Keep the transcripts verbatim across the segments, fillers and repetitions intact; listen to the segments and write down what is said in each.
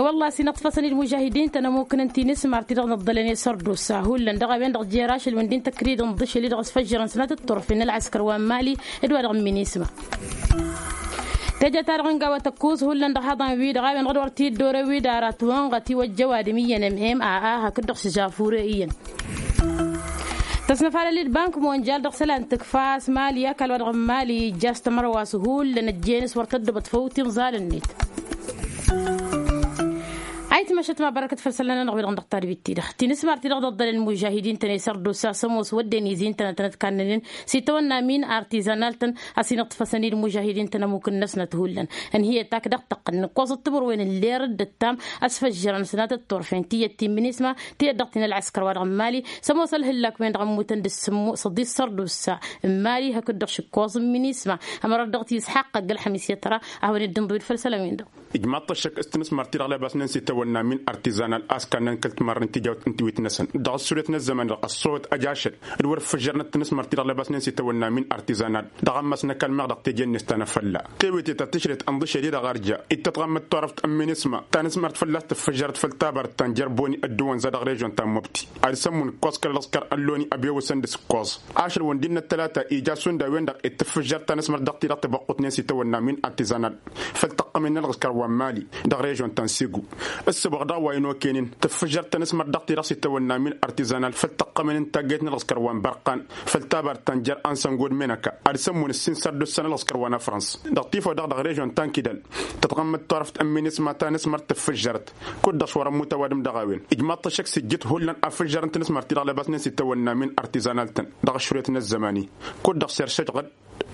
I-wălla a-s inăṭṭfăsăn-dd mužahidin-tăn ămukǝnăn tinǝsmar-ti-dăɣ n-ăḍḍălăn i-sărdusa hullan dăɣ-a-wen-dăɣ jer-ašăl wi n-dd-intăkrǝyăd n-iḍǝšel-i-dăɣ ăsfăjjărăn sănatăt turfen n-ălɣăskăr wa n-mali d-wa-dăɣ n-minisma. Teje-ta-dăɣ n-gawa tăkkuẓ hullan dăɣ-haḍan-wi-dăɣ a-wen-dăɣ d-wăr t-dd-orăw-dd ara ătwănɣăt iwăjjăw adǝm iyyăn m m a a hakd-dăɣ s-žafure iyyăn. Tăsnăfalăl-dd bank monjal dăɣ-isălan tǝkfa a-s mali ăkall wa dăɣ-n mali ijja s-tămărwa s-hullan ăjjeen s-wăr tăddobăt făw tinẓal-net. Ayǝtmăšăt ma bărăkăt făll-isălan-nănăɣ wi-dăɣ n-dăɣ tadbit-ti-dăɣ tinǝsmar-ti-dăɣ d-ăḍḍălăn mužahidin-tăn i-sărdusa s-ămoos wădden izi ǝntănătăn d-kannănen s-itawănna min artizanal-tăn a-s inǝṭṭfăsăn-dd mužahidin-tăn ămukǝn-năsnăt hullan. Ǝnhǝyăt ak dăɣ-tăqqǝl nǝkkoẓăt timǝrwen n-ler d-ăttam ăsfăjjărăn sănatăt turfen tiyyăt ti n-minisma tiyyăt dăɣ-ti n-ălɣăskăr wa dăɣ-n mali s-ămoos ălhǝllak-wen-dăɣ ămmutăn d-ǝssǝmmu s-ăḍis sărdusa n-mali hakd-dăɣ šǝkkoẓ n-minisma. Ămărat dăɣ-t isxaqq ăgg-ălxămis i-tăra a hawăn-dd-inḍǝw d-făll-isălan-win-dăɣ. Ijmaḍ-t ăššăk s-tinǝsmar ti-dăɣ lebasnen s-itawănna min artizanal a-s kannăn kăl-timarren tijawt n-tiwit-năsăn dăɣ-ăssuret n-ăzzăman-dăɣ ăṣṣowăt ăj ašăl d-wăr ǝffǝžžărnăt tinǝsmar ti-dăɣ lebasnen s-itawănna min artizanal dăɣ-ammas n-ăkall meɣ dăɣ-teje-net ta n-afălla. Tewete ta tǝšret ănḍǝšel-i-dăɣ arja ittăt ɣammăt turăft n-minisma ta n-asmărt fălla-s tǝffǝžžărăt făll-tabărt ta n-jer-boni ăddǝwănza dăɣ-režon ta n-mobti ad-sămmun ǝkkoẓ kăl-ălɣǝskăr ălloni ăbewăsăn d-asǝkkoẓ ašăl wăndin n-ăttălata ija šund a-wen-dăɣ ittǝffǝžžăr ta n-asmărt dăɣ-ti-dăɣ tibăqqutnen s-itawănna min artizanal făll-tăqqămen n-ălɣǝskăr wa n-mali dăɣ-režon ta n-sigu. Ǝssǝboɣ dăɣ-wa ănokăynen tǝffǝžžăr ta n-asmărt dăɣ-ti-dăɣ s-itawănna min artizanal făll-tăqqămen n-taggăyt n-ălɣǝskăr wa n-bărqan făll-tabărt ta n-jer-ansăngo d-menăka ad-sămmun ǝssin sărdussăn ălɣǝskăr wa n-afrăns. Dăɣ-tifăw-dăɣ dăɣ-režon ta n-kidal tătɣămmăt turăft n-minisma ta n-asmărt tǝffǝžžărăt kud-dăɣ s-wăr-ămmut ăwadǝm dăɣ-a-wen ijmaḍ-t ăššăk s-ijjǝt hullan afǝžžărăn tinǝsmărt-ti-dăɣ lebasnen s-itawănna min artizanal-tăn dăɣ-aššuret n-ăzzăman-i kud-dăɣ s-eršăj ɣǝd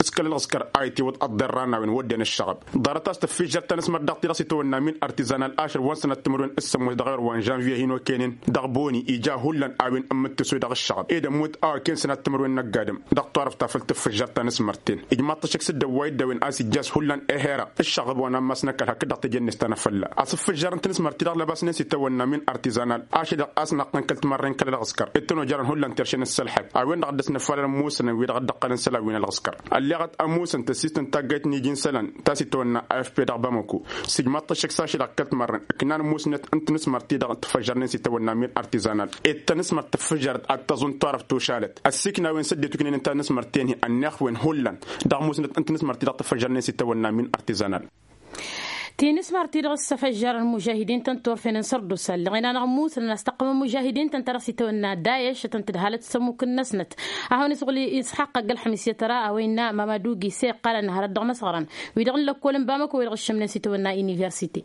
s-kăl-ălɣǝskăr a itǝwǝḍ ăḍḍerra n-a-wen wădden ǝššăɣăb. Ḍarăt-as tǝffǝžžăr ta n-asmărt dăɣ-ti-dăɣ s-itawănna min artizanal ašăl wa n-sănat timǝrwen s-sămmos dăɣ-ewăr wa n-žănviye hin-okăynen dăɣ-boni ija hullan a-wen ǝmmǝttǝsu dăɣ-ǝššăɣăb ed ămmut a okăyăn sănat timǝrwen n-ăgg-adǝm dăɣ-turăft ta făll-tǝffǝžžăr ta n-asmărten. Ijmaḍ-t ăššăk s-dd-ăwway dd-a-wen a-s ijjas hullan ehera ǝššăɣăb wa n-ammas n-ăkall hakd-dăɣ teje-net ta n-afălla a-s ǝffǝžžărăn tinǝsmărt-ti-dăɣ lebasnen s-itawănna min artizanal ašăl-i-dăɣ a-s naqqăn kăl-timarren kăl-ălɣǝskăr ittănojărăn hullan terše n-ăssălḥăb a-wen-dăɣ dd-ăsnăfalăn ămusănăn wi-dăɣ dd-ăqqălăn isălan wi n-ălɣǝskăr. Ălleɣăt ămusăn tăssist n-taggayt n-iji n-isălan ta s-itawănna afp dăɣ-bamăko s-ijmaḍ-t ăššăk s-ašăl-dăɣ kăl-timarren ǝknan musnăt n-tinǝsmărt-ti-dăɣ tǝffăžžărnen s-itawănna min artizanal ed tanǝsmărt tǝffǝžžărăt ad-tăẓun turăft tušalăt ăssiikna a-wen s-ăddinăt uknen ǝnta n-asmărten hi-ănnixwen hullan dăɣ-musnăt n-tinǝsmărt-ti-dăɣ tǝffăžžărnen s-itawănna min artizanal. Tinǝsmărt-ti-dăɣ s-ăfăžžărăn mužahidin-tăn turfen n-sărdusa ǝlleɣen-anăɣ musnăn a-s tăqqămăn mužahidin-tăn ta dăɣ-s itawănna dayeš ad-tăn-tǝdhalăt s-ămmuk-năsnăt. Ad-hawăn-isuɣǝl isxaqq ăgg-ălxămis i-tăra a-wa innă mamadu gise iqqalăn hărăt dăɣ-imăsɣărăn wi-dăɣ n-lăkkol n-bamăko wi-dăɣ ǝššǝmnen s-itawănna universite.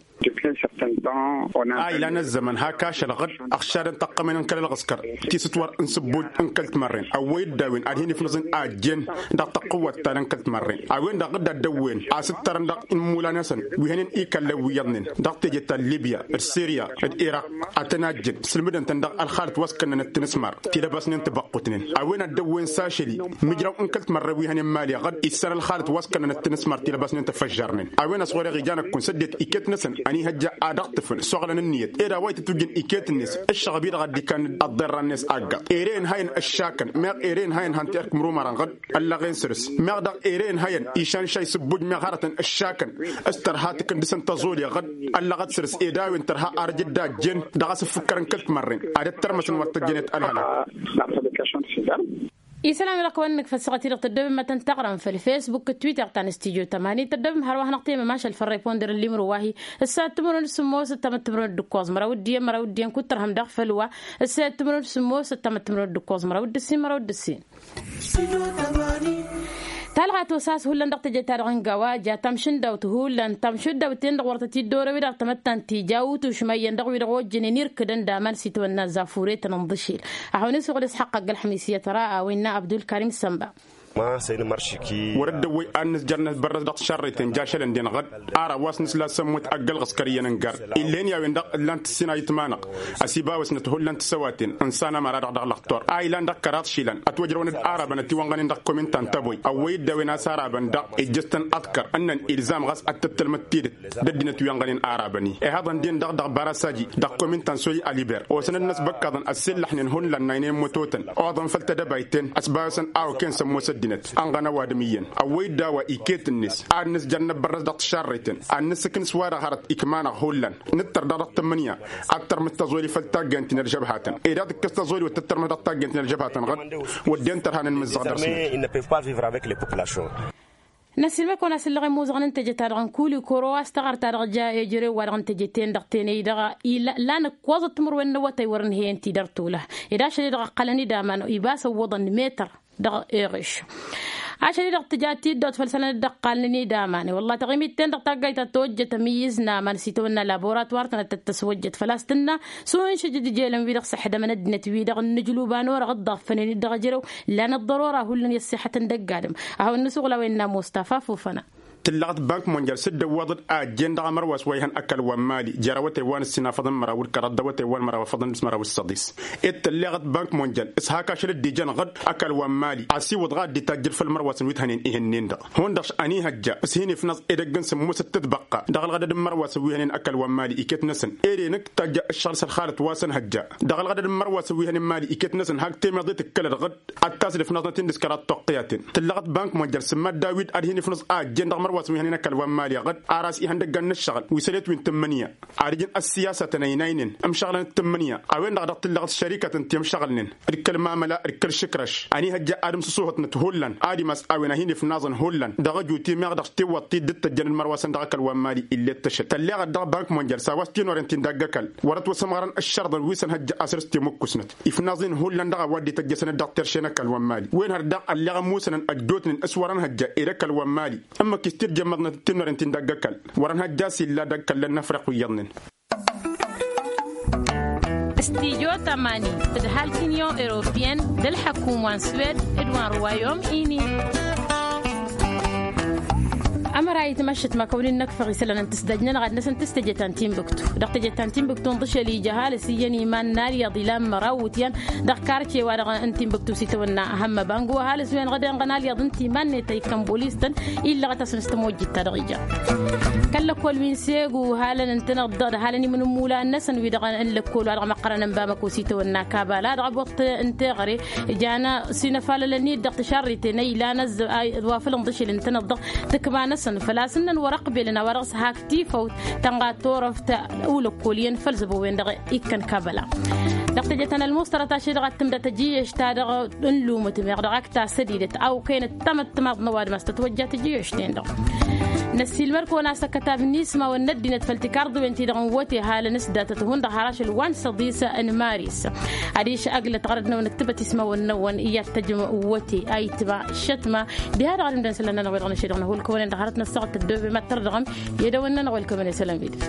A ilan ăzzăman hak ašăl ɣǝd ăɣšadăn tăqqămen n-kăl-ălɣǝskăr tisǝtwăr n-sǝbbuj n-kăl-timărren ăwwăy-dd a-wen ad-hin-ifnăẓ n-a ăjjeen dăɣ-tăqqǝwwăt ta dăɣ-n kăl-timărren a-wen-dăɣ dd-ad-dăwwen a-s ǝttărăn dăɣ-inmula-năsăn wi hănen ikallăn wi iyyăḍnen dăɣ-teje ta n-libya d-sirya d-iraq ad-tăn-ajjǝn sǝlmǝdăn-tăn dăɣ-ălxalăt wa s-kănnănăt tinǝsmar ti-dăbasnen tibăqqutnen a-wen ad-dăwwen s-ašăl-i mǝjraw n-kăl-timărren wi hănen mali ɣǝd issan ălxalăt wa s-kănnănăt tinǝsmar ti-dăbasnen tăfăžžarnen a-wen ăsɣureɣ ija năkkun s-ăddinăt iket-năsăn ănihăjja ad-ăɣtǝfăn s-oɣlăn ǝnniyăt ed a-wa itǝtwǝjjăn iket-net ǝššăɣăb-i-dăɣ a dd-ikannăd ăḍḍerra-net aggaḍ ere-en hayăn ǝššakăn meɣ ere-en hayăn han-t-erk imrumărăn ɣǝd ăllăɣen săr-s meɣ daɣ ere-en hayăn išan šay s-ǝbbuj meɣ hărătăn ǝššakăn s-tărha takǝndǝsăn tăẓoli ɣǝd ăllăɣăt săr-s ed a-wen tărha arăj dd-ajjen dăɣ-asǝffǝkkărăn kăl-timărren ad-ăttărmăsăn wăr tăjjănet ălhălăk. Isălan-wi-dăɣ kăwăn-nǝkfăl săɣăt-i-dăɣ tăddobem ad-tăn-tăɣrăm făll-fesbuk d-twitter ta n-studyo tămani tăddobem hărwa hanăɣ-temmăm ašăl făll-reponder n-limro wa-hi ǝssanăt timǝrwen d-sǝmmos ǝttamăt timǝrwen d-ǝkkoẓ măraw d-iyyăn măraw d-iyyăn kud-tărhăm daɣ făll-wa ǝssanăt timǝrwen d-sǝmmos ǝttamăt timǝrwen d-ǝkkoẓ măraw d-ǝssin măraw d-ǝssin. Talɣa tosa a-s hullan dăɣ-teje-ta-dăɣ n-gawa ja tamšǝndawt hullan tamšǝndawt-ten-dăɣ wăr tăt-dd-orăw-i dăɣ-tamăttant tija utušma iyyăn dăɣ-wi-dăɣ ojjănen irkǝdăn d-aman s-itwănna zafuretăn n-iḍǝšel. Ad-hawăn-isuɣǝl isxăqq ăgg-ălxămis i-tăra a-wa innă abdulkarim sănba. Wăr-dd-ăwwăy ad-nǝzjăr năsbărrăs dăɣ-tišarrăyten ja ašălăn-den ɣădd. Ara wa s-nǝsla s-ămmut ăgg-ălɣǝskăr iyyăn n-gar, ill'-en i-a-wen-dăɣ ǝllan-t ǝssin a itmanăɣ. Ăsibawăsnăt hullan tisăwaten n-sanămăra-dăɣ dăɣ-lăxtur a ilan dăɣ-kăraḍ išilan ătwăjrăwăn-dd arabăn ătiwănɣănen dăɣ-komintan tăboy ăwwăy-dd a-wen a-s arabăn daɣ ijjăs-tăn aḍkăr ǝnnăn ilzam ɣas ad-tăttălmăd tidǝt d-ăddinăt wi ănɣănen arabăn-i. Ihăḍăn-den-dăɣ dăɣ-barasaji dăɣ-komintan soy aliber osăn-dd n-asbăkkaḍăn ăssiillăḥnen hullan n-aynen mătotăn oḍăn făll-tedăbayt-ten. Ăsbawăsăn a okăyăn s-ămoos ăddinăt ănɣăn ăwadǝm iyyăn ăwwăy-dd a-wa iket-net ad-nǝzjăr năbbărrăs dăɣ-tišarrăyten ad-nǝssǝknǝs-wa-dăɣ hărăt ikma-năɣ hullan. Nǝttăr daɣ dăɣ-tǝmmǝnǝya ad-tărmǝd taẓoli făll-taggaynt-in ălžăbhatăn ed ad-tǝkkǝs taẓoli wăr tăttărmǝh dăɣ-taggaynt-in ălžăbhatăn ɣădd. Wădden tărha n-inmǝzzăɣ dăr-săn. Năssiilmăd-kăwăn a-s ǝllăɣ i-muẓɣăn n-teje-ta-dăɣ n-kulikoro a-s taɣăr-ta-dăɣ ja ejărew-wa-dăɣ n-teje-ten-dăɣ tenăy-dăɣ. Ilan ǝkkoẓăt timǝrwen n-awătay wăr-ǝnhăyăn tidăr tolăh ed ašăl-i-dăɣ ăqqălăn-dd aman ibas ăwwăḍăn metăr. Dăɣ-eɣeš ašăl-i-dăɣ tǝja tiddawt făll-isălan dd-ăqqalnen-dd aman i-wălla taɣimit-ten-dăɣ taggayt ta tojjăt ămǝyyǝz n-aman s-itawănna laboratwar-tăn ad-tăt-tăswăjjăt făl-a-s tǝnna s-uhin šǝjǝd ijel n-wi-dăɣ s-ăḥdămăn ăddinăt-wi-dăɣ n-ǝjlub a norăɣ dd-ăɣfănen-dd dăɣ-ejărew. Lan ăḍḍărora hullan i-ăṣṣixătăn dăgg-adǝm. Ahăwăn n-isuɣǝl a-wen n-ămoos tafa fufăna. Tǝllăɣăt bank monjal s-dd-ăwwaḍăd a ăjjeen dăɣ-amărwas wa ihăn ăkall wa n-mali jer-awătay wa n-ǝssin afăḍăn măraw d-kăraḍ d-awătay wa n-măraw afăḍăn d-măraw d-săḍis. Ed tălleɣăt bank monjal s-hak ašăl dd-ijăn ɣădd ăkall wa n-mali asiwǝḍ ɣad d-itajjăd făll-mărwasăn wi t-hănen ihǝnnen-dăɣ. Hundăɣ š-ănihăjja s-hin-ifnăẓ edăgg n-sǝmmosăt tǝtbăqqa dăɣ-ălɣădăd n-mărwasăn wi hănen ăkall wa n-mali iket-năsăn. Ere nǝkk tajja ǝššăɣǝl s-ălxalăt wa s-ănhăjja dăɣ-ălɣădăd n-mărwasăn wi hănen mali iket-năsăn hak temeḍe tǝkkălăd ɣădd. Ad-tasǝd ifnăẓnăt-in d-s kăraḍ toqqǝyaten tǝllăɣăt bank monjal s-mad-dawid ad-hin-ifnǝẓ a ăjjeen dăɣ-mărwasăn wi hănen ăkall wa n-mali ɣădd. Ar a-s ihăndăggan n-ǝššăɣǝl wi sălet wi n-tǝmmǝnǝya ad-ǝjǝn ăssiyasatăn ăynaynen ǝmšăɣlăn d-tǝmmǝnǝya. A-wen-dăɣ dăɣ-tǝllăɣăt šărikatăn ti ǝmšăɣǝlnen d-kăl-mamăla d-kăl-išǝkrăš. Ănihăjja ad-ǝmsǝsuhătnăt hullan ad-imas a-wen a hin-ifnaẓăn hullan dăɣ-ăju timeɣ dăɣ-tiwwăḍt ti dd-tăjjăn d-mărwasăn dăɣ-ăkall wa n-mali. Illet tăšăt tălleɣăt dăɣ-bank monjal s-a-wa s-tinorent-in dăgg-ăkall wăr-ătwăsămɣărăn ǝššărḍăn wi s-ănhăjja asăr s-timǝkkusnăt ifnaẓ-in hullan dăɣ-a-wa dd-ităjjăsăn d-dăɣ-terše n-ăkall wa n-mali. Wen hărdaɣ ălleɣ ămmusănăn ăjjootnen s-wăr-ănhăjja ed ăkall wa n-mali ǝmmǝk-i s-tirjămmăḍnăt d-tinorent-in dăgg-ăkall wăr-ănhăjja a-s illa dăgg-kăllăn n-afriq wi iyyăḍnen. Stijo tamani tǝdhal tinion europeyăn d-ălḥăkum wa n-swed d-wa n-ruwayom ini. Ămăra itmăššăt ma kăwăn-in-năkfăɣ isălan n-tǝsdaj-nănăɣ ad-năsăn tǝstăjăt ta n-tinbǝktu dăɣ-tăjăt ta n-tinbǝktu n-ḍǝšel ija ăhalǝs iyyăn iman n-alyaḍ ilan măraw wǝtyan. Dăɣ-karce-wa-dăɣ n-tinbǝktu s-itawănna hămmăba n-gǝw ăhalǝs-wen ɣăd-enɣăn alyaḍ n-timan-net a ikkăn bolis-tăn illăɣăt-asăn s-tămojjit-ta-dăɣ ija. Kăl-lăkkol wi n-segu halăn ǝntăneḍ-dăɣ d-halăn imǝnǝmmula-năsăn wi-dăɣ n-lăkkol-wa-dăɣ măqqărăn n-bamăko s-itawănna kabala dăɣ-aboṭṭ n-teɣăre. Jan s-inăfalălăn-dd dăɣ-tišarriten a ilan ăzz a iwafălăn d-ašăl ǝntăneḍ-dăɣ tǝkma-năsăn făl-a-s ǝnnăn wăr-ăqbelăn a-wa dăɣ-s hak tifăwt tănɣa turăft. Ulăkkol iyyăn făll-zăbo-wen-dăɣ ikkăn kabăla dăɣ-tejăt ta n-ălmuṣtărăt ašăl-i-dăɣ ad-tǝmdăt ăjiyăš-ta-dăɣ n-lumǝtǝm-eɣ dăɣ-ak tasădidet a okăynăt tamăttămaḍ n-ăwadǝm a-s tătwăjja tijiyăš-ten-dăɣ. Năssiilmăr-kăwăn a-s ăkkătab n-ismawăn n-ăddinăt făll-tikarḍăwen-ti-dăɣ n-wăte halăn s-datăt hundăɣ har ašăl wa n-săḍis n-maris. Adiš ăglăt ɣărăt-năwăn ǝktǝbăt ismawăn-năwăn i-ad-tăjjăm wăte a itma šătma. Diha-dăɣ ad-ǝmdăn isălan-nănăɣ wi-dăɣ năšedăɣ năhulkăwăn-en dăɣ-hărăt n-ăssaɣăt tăddoobem ad-tărdăɣăm i-edăwăn-nănăɣ welkămăn isălan wi-dăɣ.